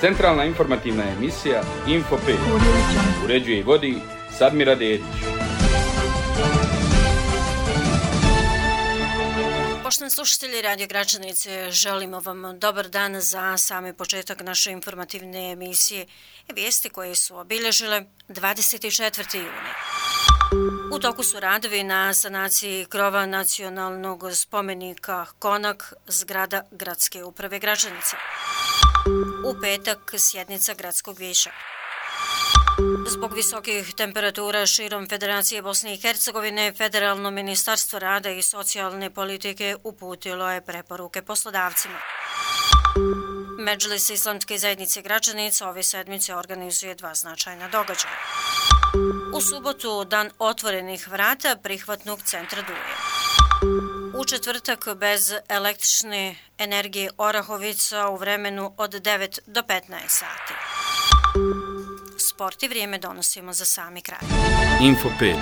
Centralna informativna emisija Info 5 uređuje i vodi Sadmira Dedić. Poštovani slušatelji Radio Gračanice, želimo vam dobar dan za sami početak naše informativne emisije i vijesti koje su obilježile 24. juni. U toku su radovi na sanaciji krova nacionalnog spomenika Konak, zgrada Gradske uprave Gračanice. U petak sjednica Gradskog vijeća. Zbog visokih temperatura širom Federacije Bosne i Hercegovine, Federalno ministarstvo rada i socijalne politike uputilo je preporuke poslodavcima. Medžlis Islamske zajednice Gračanica ove sedmice organizuje dva značajna događaja. U subotu dan otvorenih vrata prihvatnog centra Duje. U četvrtak bez električne energije Orahovica u vremenu od 9 do 15 sati. Sport i vrijeme donosimo za sami kraj. Info 5.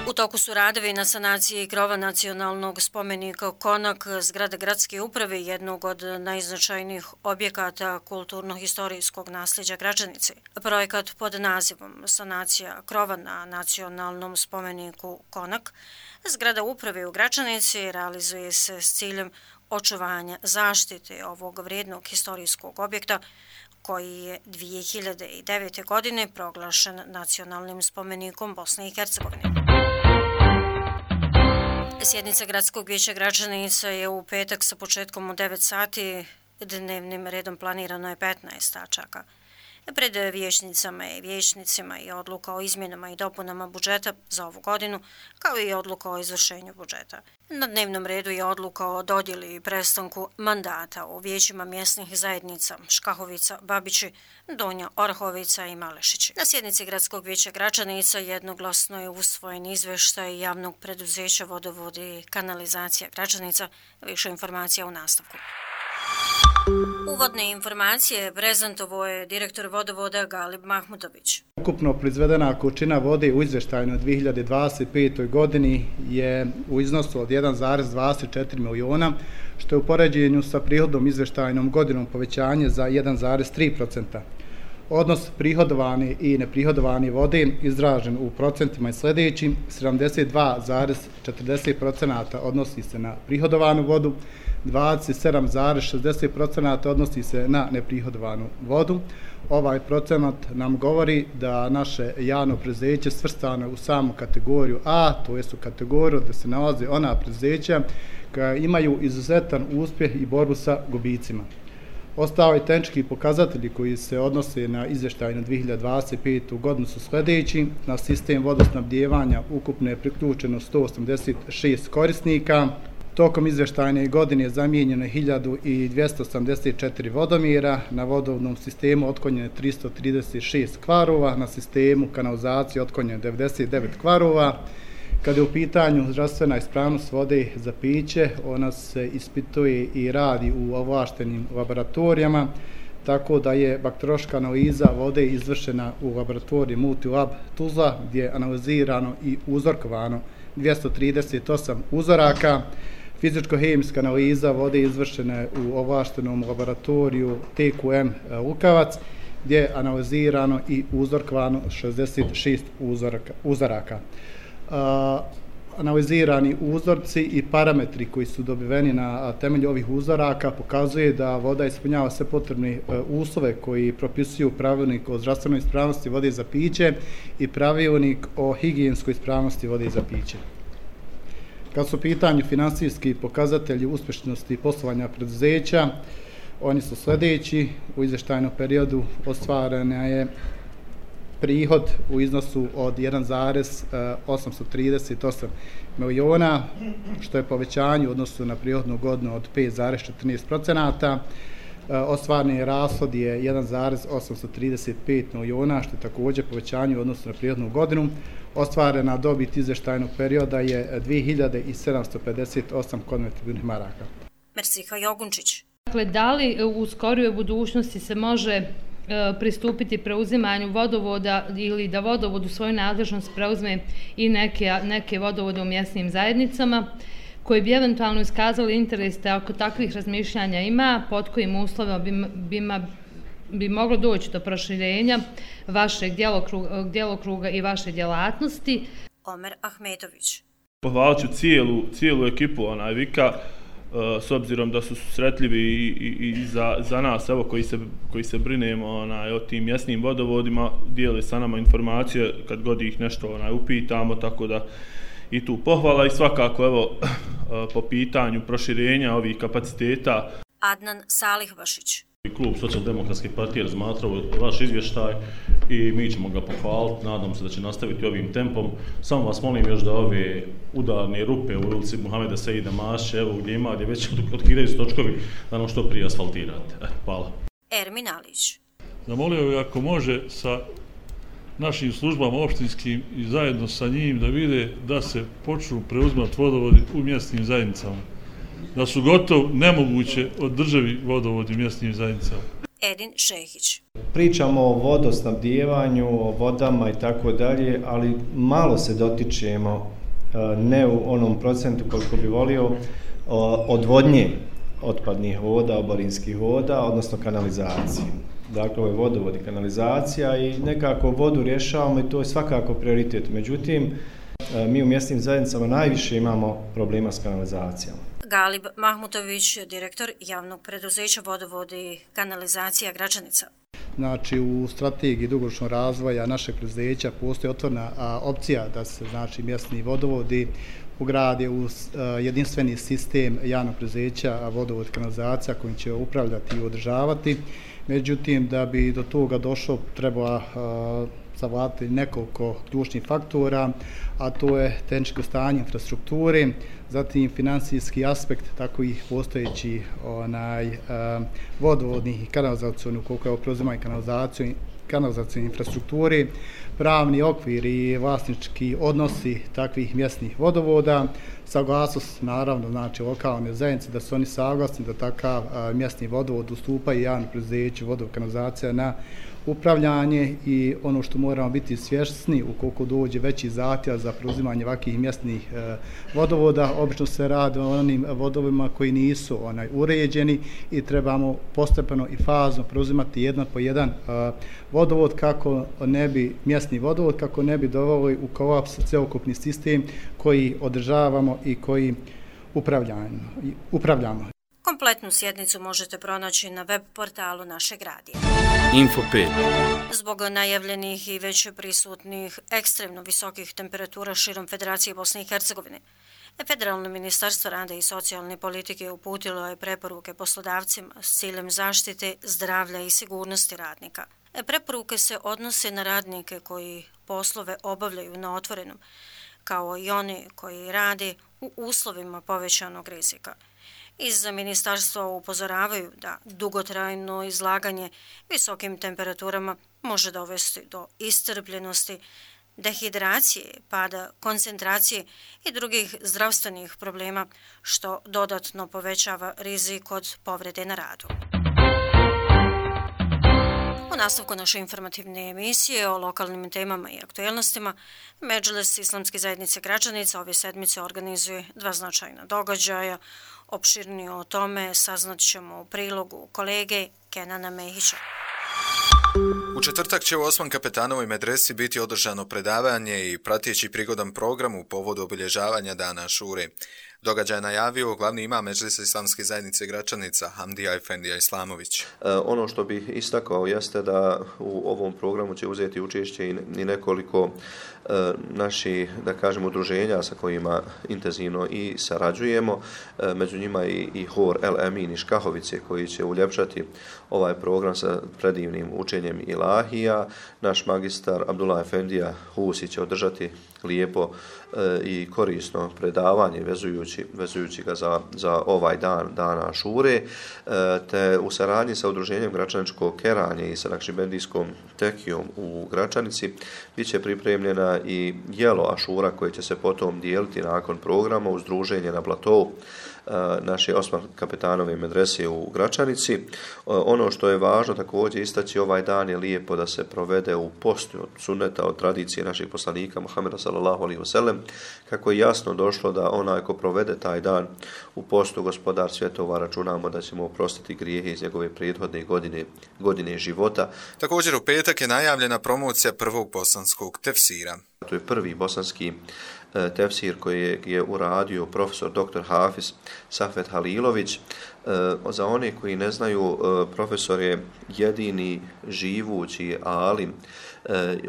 U toku su radovi na sanaciji krova nacionalnog spomenika Konak, zgrade Gradske uprave, jednog od najznačajnijih objekata kulturno-historijskog nasljeđa Gračanice. Projekat pod nazivom Sanacija krova na nacionalnom spomeniku Konak, zgrada uprave u Gračanici realizuje se s ciljem očuvanja zaštite ovog vrijednog historijskog objekta koji je 2009. godine proglašen nacionalnim spomenikom Bosne i Hercegovine. Sjednica Gradskog vijeća Gračanica je u petak sa početkom u 9 sati, dnevnim redom planirano je 15 tačaka. Pred vijećnicama i vijećnicima je odluka o izmjenama i dopunama budžeta za ovu godinu, kao i odluka o izvršenju budžeta. Na dnevnom redu je odluka o dodjeli i prestanku mandata u vijećima mjesnih zajednica Škahovica, Babići, Donja Orahovica i Malešići. Na sjednici Gradskog vijeća Gračanica jednoglasno je usvojen izvještaj javnog preduzeća Vodovodi i kanalizacija Gračanica. Više informacija u nastavku. Uvodne informacije prezentovao je direktor vodovoda Galib Mahmutović. Ukupno proizvedena količina vode u izvještajnoj 2025. godini je u iznosu od 1,24 miliona, što je u poređenju sa prihodom izvještajnom godinom povećanje za 1,3%. Odnos prihodovane i neprihodovane vode izražen u procentima je sljedeći: 72,40% odnosi se na prihodovanu vodu, 27,60% odnosi se na neprihodovanu vodu. Ovaj procenat nam govori da naše javno preduzeće svrstano u samu kategoriju A, to jest u kategoriju da se nalaze ona preduzeća koja imaju izuzetan uspjeh i borbu sa gubicima. Ostali tehnički pokazatelji koji se odnose na izvještaj na 2025. godinu su sljedeći: na sistem vodosnabdijevanja ukupno je priključeno 186 korisnika. Tokom izvještajne godine je zamijenjeno 1284 vodomjera, na vodovodnom sistemu otklonjeno 336 kvarova, na sistemu kanalizacije otklonjeno 99 kvarova. Kada je u pitanju zdravstvena ispravnost vode za piće, ona se ispituje i radi u ovlaštenim laboratorijama, tako da je bakteriološka analiza vode izvršena u laboratoriji Multilab Tuzla, gdje je analizirano i uzorkovano 238 uzoraka. Fizičko-hemijska analiza vode izvršena je u ovlaštenom laboratoriju TQM Lukavac, gdje je analizirano i uzorkovano 66 uzoraka. Analizirani uzorci i parametri koji su dobiveni na temelju ovih uzoraka pokazuje da voda ispunjava sve potrebne uslove koji propisuju pravilnik o zdravstvenoj ispravnosti vode za piće i pravilnik o higijenskoj ispravnosti vode za piće. Kad su u pitanju finansijski pokazatelji uspješnosti poslovanja preduzeća, oni su sljedeći: u izvještajnom periodu ostvarena je prihod u iznosu od 1,838 miliona, što je povećanje u odnosu na prihodnu godinu od 5,14%. Ostvareni rashod je 1,835 miliona, što je također povećanje u odnosu na prihodnu godinu. Ostvarena dobit izvještajnog perioda je 2758 konvertibilnih maraka. Mersiha Jogunčić. Dakle, da li u skorijoj budućnosti se može pristupiti preuzimanju vodovoda ili da vodovod u svoju nadležnost preuzme i neke vodovode u mjesnim zajednicama koji bi eventualno iskazali interes da ako takvih razmišljanja ima, pod kojim uslovima bi moglo doći do proširenja vašeg djelokruga i vaše djelatnosti. Omer Ahmetović. Pohvalit ću cijelu ekipu Vika, s obzirom da su susretljivi i za nas, evo, koji se brinemo o tim mjesnim vodovodima, dijele sa nama informacije kad god ih nešto upitamo, tako da i tu pohvala i svakako evo po pitanju proširenja ovih kapaciteta. Adnan Salihbašić. Klub Socijaldemokratske partije razmatrao vaš izvještaj i mi ćemo ga pohvaliti, nadam se da će nastaviti ovim tempom. Samo vas molim još da ove udarne rupe u ulici Muhameda Seida Maše, evo gdje već otkidaju se točkovi, da nam što prije asfaltirate. Hvala. Ermin Alić. Zamolio bih ako može sa našim službama opštinskim i zajedno sa njim da vide da se počnu preuzimati vodovodi u mjesnim zajednicama. Da su gotovo nemoguće održivi vodovodi u mjesnim zajednicama. Edin Šehić. Pričamo o vodosnabdijevanju, o vodama i tako dalje, ali malo se dotičemo, ne u onom procentu koliko bi volio, odvodnje otpadnih voda, oborinskih voda, odnosno kanalizacije. Dakle, ovo je vodovod i kanalizacija i nekako vodu rješavamo i to je svakako prioritet. Međutim, mi u mjesnim zajednicama najviše imamo problema s kanalizacijama. Galib Mahmutović, direktor javnog preduzeća Vodovod i kanalizacija Gračanica. Znači, u strategiji dugoročnog razvoja našeg preduzeća postoji otvorena opcija da se mjesni vodovodi ugrade u jedinstveni sistem javnog preduzeća Vodovod i kanalizacija kojim će upravljati i održavati. Međutim, da bi do toga došlo, treba savladati nekoliko ključnih faktora, a to je tehničko stanje infrastrukture, zatim financijski aspekt takovih postojećih vodovodnih i kanalizacionih, koliko je preuzimanje kanalizacijne infrastrukture, pravni okvir i vlasnički odnosi takvih mjesnih vodovoda, saglasnost naravno lokalne zajednice da su oni saglasni da takav mjesni vodovod ustupa i javno preduzeće vodovod kanalizacija na upravljanje i ono što moramo biti svjesni ukoliko dođe veći zahtjev za preuzimanje ovakvih mjesnih vodovoda, obično se radi o onim vodovima koji nisu uređeni i trebamo postepeno i fazno preuzimati jedan po jedan vodovod mjesni vodovod kako ne bi doveli u kolaps cjelokupni sistem koji održavamo i koji upravljamo. Kompletnu sjednicu možete pronaći na web portalu našeg radija. Info 5. Zbog najavljenih i već prisutnih ekstremno visokih temperatura širom Federacije Bosne i Hercegovine, Federalno ministarstvo rada i socijalne politike uputilo je preporuke poslodavcima s ciljem zaštite zdravlja i sigurnosti radnika. Preporuke se odnose na radnike koji poslove obavljaju na otvorenom, kao i oni koji rade u uslovima povećanog rizika. Iz ministarstva upozoravaju da dugotrajno izlaganje visokim temperaturama može dovesti do iscrpljenosti, dehidracije, pada koncentracije i drugih zdravstvenih problema, što dodatno povećava rizik od povrede na radu. U nastavku naše informativne emisije o lokalnim temama i aktualnostima, Medžlis Islamske zajednice Gračanica ove sedmice organizuje 2 značajna događaja. Opširnije o tome saznat ćemo u prilogu kolege Kenana Mehića. U četvrtak će u Osman Kapetanovoj medresi biti održano predavanje i prateći prigodan program u povodu obilježavanja Dana Ašure. Događaj je najavio glavni imam Medžlisa Islamske zajednice Gračanica, Hamdija Efendija Islamović. Ono što bih istakao jeste da u ovom programu će uzeti učešće i nekoliko naših, da kažem, udruženja sa kojima intenzivno i sarađujemo. Među njima i Hor El Emin iz Škahovice koji će uljepšati ovaj program sa predivnim učenjem ilahija. Naš magistar Abdullah Efendija Husi će održati lijepo i korisno predavanje vezujući ga za ovaj dan Ašure, te u saradnji sa udruženjem Gračaničko keranje i sa Nakšibendijskom tekijom u Gračanici bit će pripremljena i jelo Ašura koje će se potom dijeliti nakon programa uz druženje na platovu. naše Osman Kapetanove medrese u Gračanici. Ono što je važno također istaći, ovaj dan je lijepo da se provede u postu od sunneta, od tradicije naših poslanika Muhameda sallallahu alejhi ve sellem, kako je jasno došlo da onaj ko provede taj dan u postu, gospodar svjetova, računamo da ćemo oprostiti grijehe iz njegove prethodne godine života. Također u petak je najavljena promocija prvog bosanskog tefsira. To je prvi bosanski tefsir koji je uradio profesor dr. Hafiz Safet Halilović. Za one koji ne znaju, profesor je jedini živući alim,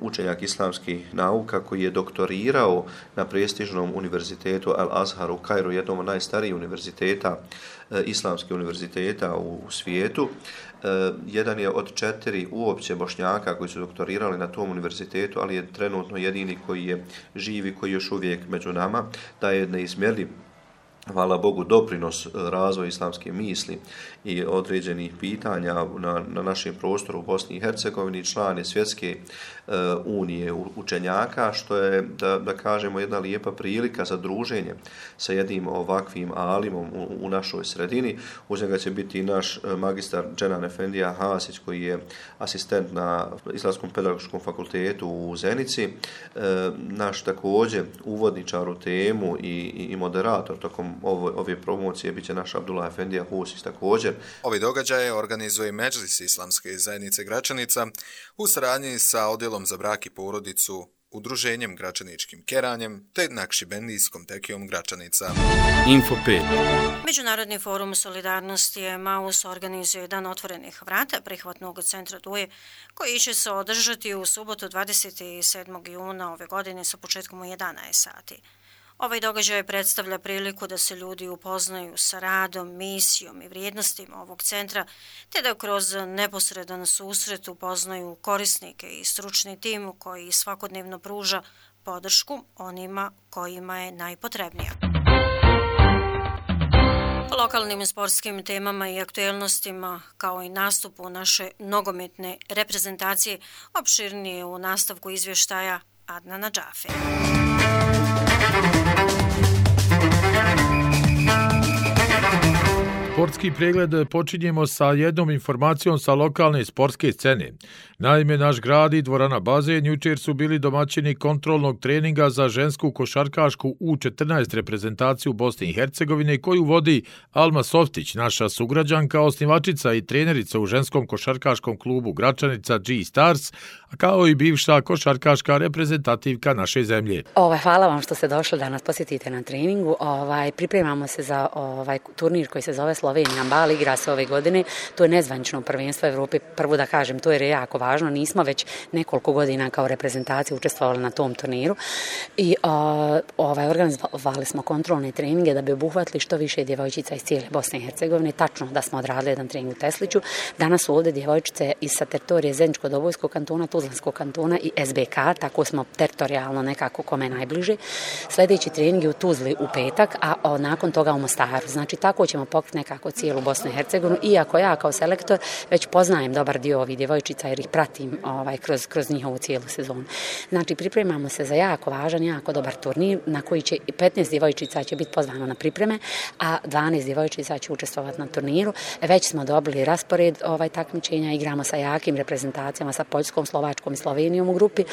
učenjak islamskih nauka koji je doktorirao na prestižnom univerzitetu Al-Azhar u Kairu, jednom od najstarijih univerziteta, islamskih univerziteta u svijetu. Jedan je od 4 uopće Bošnjaka koji su doktorirali na tom univerzitetu, ali je trenutno jedini koji je živi, koji još uvijek među nama, da je neizmjerljiv, hvala Bogu, doprinos razvoju islamske misli i određenih pitanja na našem prostoru u Bosni i Hercegovini, član je Svjetske unije učenjaka, što je, da kažemo, jedna lijepa prilika za druženje sa jednim ovakvim alimom u našoj sredini. Uz njega će biti naš magistar Dženan Efendija Hasić, koji je asistent na Islamskom pedagoškom fakultetu u Zenici. Naš također uvodničar u temu i moderator tokom ove promocije biće naš Abdullah Efendija Husić također. Ovi događaje organizuje Medžlis Islamske zajednice Gračanica u saradnji sa Odjelom za brak i porodicu, Udruženjem Gračaničkim keranjem te Nakšibendijskom tekijom Gračanica. Info 5. Međunarodni forum solidarnosti Emaus organizuje Dan otvorenih vrata prihvatnog centra Duje, koji će se održati u subotu 27. juna ove godine sa početkom u 11 sati. Ovaj događaj predstavlja priliku da se ljudi upoznaju sa radom, misijom i vrijednostima ovog centra, te da kroz neposredan susret upoznaju korisnike i stručni tim koji svakodnevno pruža podršku onima kojima je najpotrebnija. O lokalnim sportskim temama i aktuelnostima, kao i nastupu naše nogometne reprezentacije, opširnije u nastavku izvještaja Adnana Džafe. Sportski pregled počinjemo sa jednom informacijom sa lokalne sportske scene. Naime, naš grad i dvorana Bazen jučer su bili domaćini kontrolnog treninga za žensku košarkašku U14 reprezentaciju Bosne i Hercegovine koju vodi Alma Softić, naša sugrađanka, osnivačica i trenerica u ženskom košarkaškom klubu Gračanica G-Stars, kao i bivša košarkaška reprezentativka naše zemlje. Hvala vam što ste došli da nas posjetite na treningu. Pripremamo se za turnir koji se zove Slovenija Bal, igra se ove godine. To je nezvanično prvenstvo Evrope. Prvo da kažem, to je jako važno. Nismo već nekoliko godina kao reprezentacija učestvovali na tom turniru i organizovali smo kontrolne treninge da bi obuhvatili što više djevojčica iz cijele Bosne i Hercegovine. Tačno da smo odradili jedan trening u Tesliću. Danas su ovdje djevojčice iz sa teritorije Zeničko-Dobojskog kantona, Tuzlanskog kantona i SBK, tako smo teritorijalno nekako kome najbliže. Sljedeći trening je u Tuzli u petak, a nakon toga u Mostaru. Znači tako ćemo pokriti nekako cijelu Bosnu i Hercegovinu, iako ja kao selektor već poznajem dobar dio ovih djevojčica jer ih pratim kroz njihovu cijelu sezonu. Znači pripremamo se za jako važan, jako dobar turnir na koji će 15 djevojčica će biti pozvano na pripreme, a 12 djevojčica će učestvovati na turniru. Već smo dobili raspored takmičenja, igramo sa jakim reprezentacijama, sa Poljskom, Slovačkom i Slovenijom u grupi.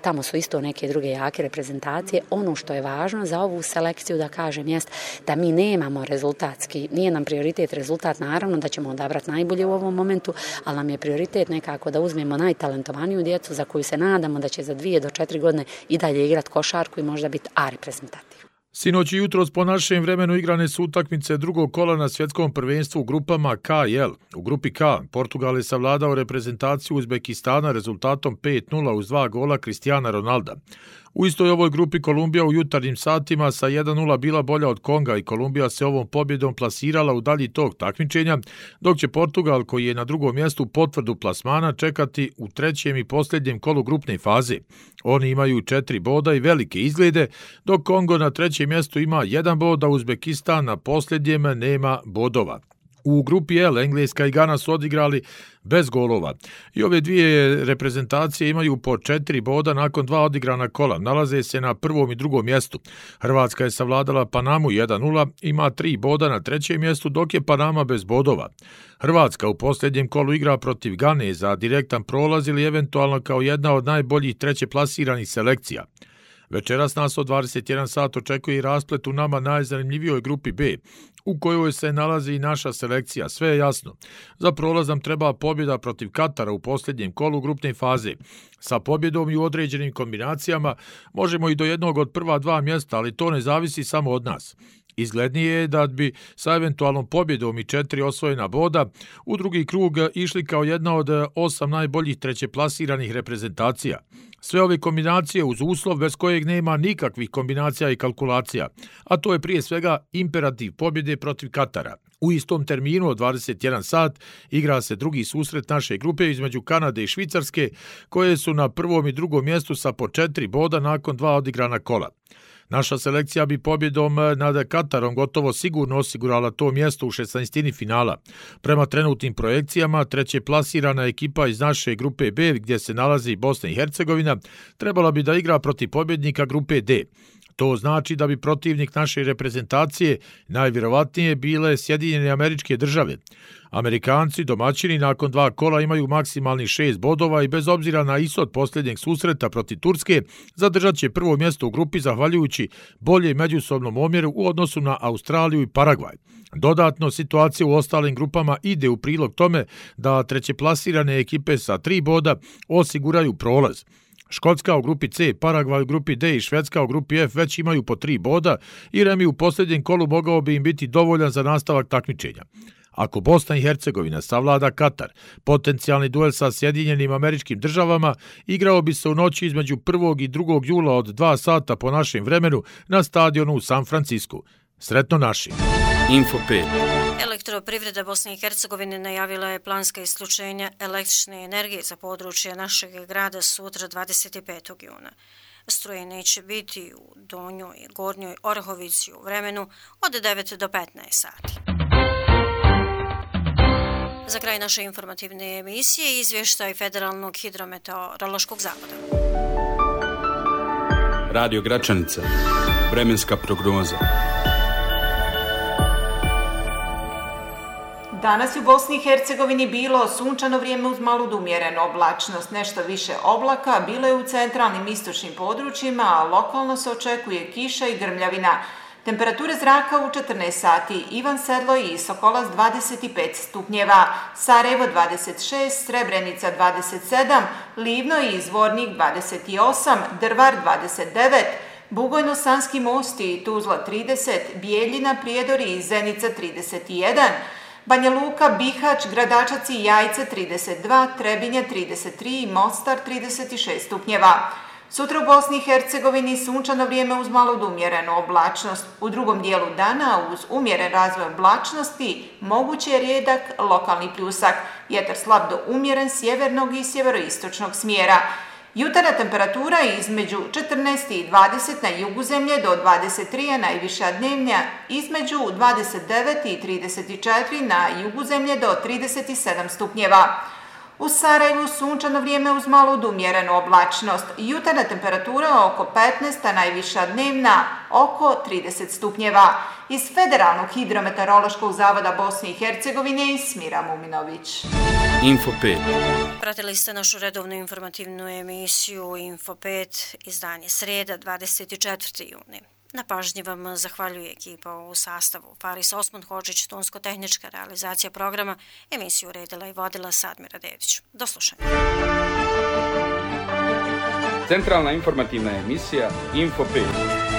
Tamo su isto neke druge jake reprezentacije. Ono što je važno za ovu selekciju da kažem jest da mi nemamo rezultatski, nije nam prioritet rezultat, naravno da ćemo odabrati najbolje u ovom momentu, ali nam je prioritet nekako da uzmemo najtalentovaniju djecu za koju se nadamo da će za 2 do 4 godine i dalje igrati košarku i možda biti A reprezentativ. Sinoć i jutros po našem vremenu igrane su utakmice drugog kola na svjetskom prvenstvu u grupama K i L. U grupi K Portugal je savladao reprezentaciju Uzbekistana rezultatom 5:0 uz 2 gola Cristiana Ronalda. U istoj ovoj grupi Kolumbija u jutarnjim satima sa 1:0 bila bolja od Konga i Kolumbija se ovom pobjedom plasirala u dalji tok takmičenja, dok će Portugal, koji je na drugom mjestu potvrdu plasmana, čekati u trećem i posljednjem kolu grupne faze. Oni imaju 4 boda i velike izglede, dok Kongo na trećem mjestu ima 1 bod, a Uzbekistan na posljednjem nema bodova. U grupi L Engleska i Gana su odigrali bez golova. I ove dvije reprezentacije imaju po 4 boda nakon 2 odigrana kola. Nalaze se na prvom i drugom mjestu. Hrvatska je savladala Panamu 1-0, ima 3 boda na trećem mjestu, dok je Panama bez bodova. Hrvatska u posljednjem kolu igra protiv Gane za direktan prolaz ili eventualno kao jedna od najboljih treće plasiranih selekcija. Večeras nas od 21 sat očekuje i rasplet u nama najzanimljivijoj grupi B, u kojoj se nalazi i naša selekcija. Sve je jasno. Za prolaz nam treba pobjeda protiv Katara u posljednjem kolu grupne faze. Sa pobjedom i u određenim kombinacijama možemo i do jednog od prva 2 mjesta, ali to ne zavisi samo od nas. Izglednije je da bi sa eventualnom pobjedom i 4 osvojena boda u drugi krug išli kao jedna od 8 najboljih trećeplasiranih reprezentacija. Sve ove kombinacije uz uslov bez kojeg nema nikakvih kombinacija i kalkulacija, a to je prije svega imperativ pobjede protiv Katara. U istom terminu od 21 sat igra se drugi susret naše grupe između Kanade i Švicarske, koje su na prvom i drugom mjestu sa po 4 boda nakon 2 odigrana kola. Naša selekcija bi pobjedom nad Katarom gotovo sigurno osigurala to mjesto u 16. finala. Prema trenutnim projekcijama, treće plasirana ekipa iz naše grupe B, gdje se nalazi Bosna i Hercegovina, trebala bi da igra protiv pobjednika grupe D. To znači da bi protivnik naše reprezentacije najvjerovatnije bile Sjedinjene Američke Države. Amerikanci, domaćini, nakon 2 kola imaju maksimalni 6 bodova i bez obzira na ishod posljednjeg susreta protiv Turske, zadržat će prvo mjesto u grupi zahvaljujući bolje međusobnom omjeru u odnosu na Australiju i Paragvaj. Dodatno, situacija u ostalim grupama ide u prilog tome da trećeplasirane ekipe sa 3 boda osiguraju prolaz. Škotska u grupi C, Paragvaj u grupi D i Švedska u grupi F već imaju po 3 boda i remi u posljednjem kolu mogao bi im biti dovoljan za nastavak takmičenja. Ako Bosna i Hercegovina savlada Katar, potencijalni duel sa Sjedinjenim Američkim Državama igrao bi se u noći između 1. i 2. jula od 2 sata po našem vremenu na stadionu u San Francisku. Sretno naši! Info 5. Elektroprivreda Bosne i Hercegovine najavila je planska isključenja električne energije za područje našeg grada sutra 25. juna. Struje neće biti u Donjoj i Gornjoj Orahovici u vremenu od 9 do 15 sati. Za kraj naše informativne emisije izvještaj Federalnog hidrometeorološkog zavoda. Radio Gračanica. Vremenska prognoza. Danas je u Bosni i Hercegovini bilo sunčano vrijeme uz malu umjerenu oblačnost, nešto više oblaka, bilo je u centralnim istočnim područjima, a lokalno se očekuje kiša i grmljavina. Temperature zraka u 14 sati, Ivan Sedlo i Sokolac 25 stupnjeva, Sarajevo 26, Srebrenica 27, Livno i Zvornik 28, Drvar 29, Bugojno-Sanski most i Tuzla 30, Bijeljina, Prijedori i Zenica 31, Banja Luka, Bihać, Gradačac i Jajce 32, Trebinje 33 i Mostar 36 stupnjeva. Sutra u Bosni i Hercegovini sunčano vrijeme uz malo umjerenu oblačnost. U drugom dijelu dana uz umjeren razvoj oblačnosti moguće je rijedak lokalni pljusak. Vjetar slab do umjeren sjevernog i sjeveroistočnog smjera. Jutarnja temperatura između 14 i 20 na jugu zemlje do 23, a najviša dnevnja između 29 i 34 na jugu zemlje do 37 stupnjeva. U Sarajevu sunčano vrijeme uz malo umjerenu oblačnost. Jutarnja temperatura oko 15, a najviša dnevna oko 30 stupnjeva. Iz Federalnog hidrometeorološkog zavoda Bosne i Hercegovine Smira Muminović. Info 5. Pratili ste našu redovnu informativnu emisiju Info 5, izdanje srijeda 24. juni. Na pažnji vam zahvaljuje ekipa u sastavu Faris Osman Hodžić, tonsko-tehnička realizacija programa, emisiju uredila i vodila Sadmira Dedić. Do slušanja. Centralna informativna emisija Info 5.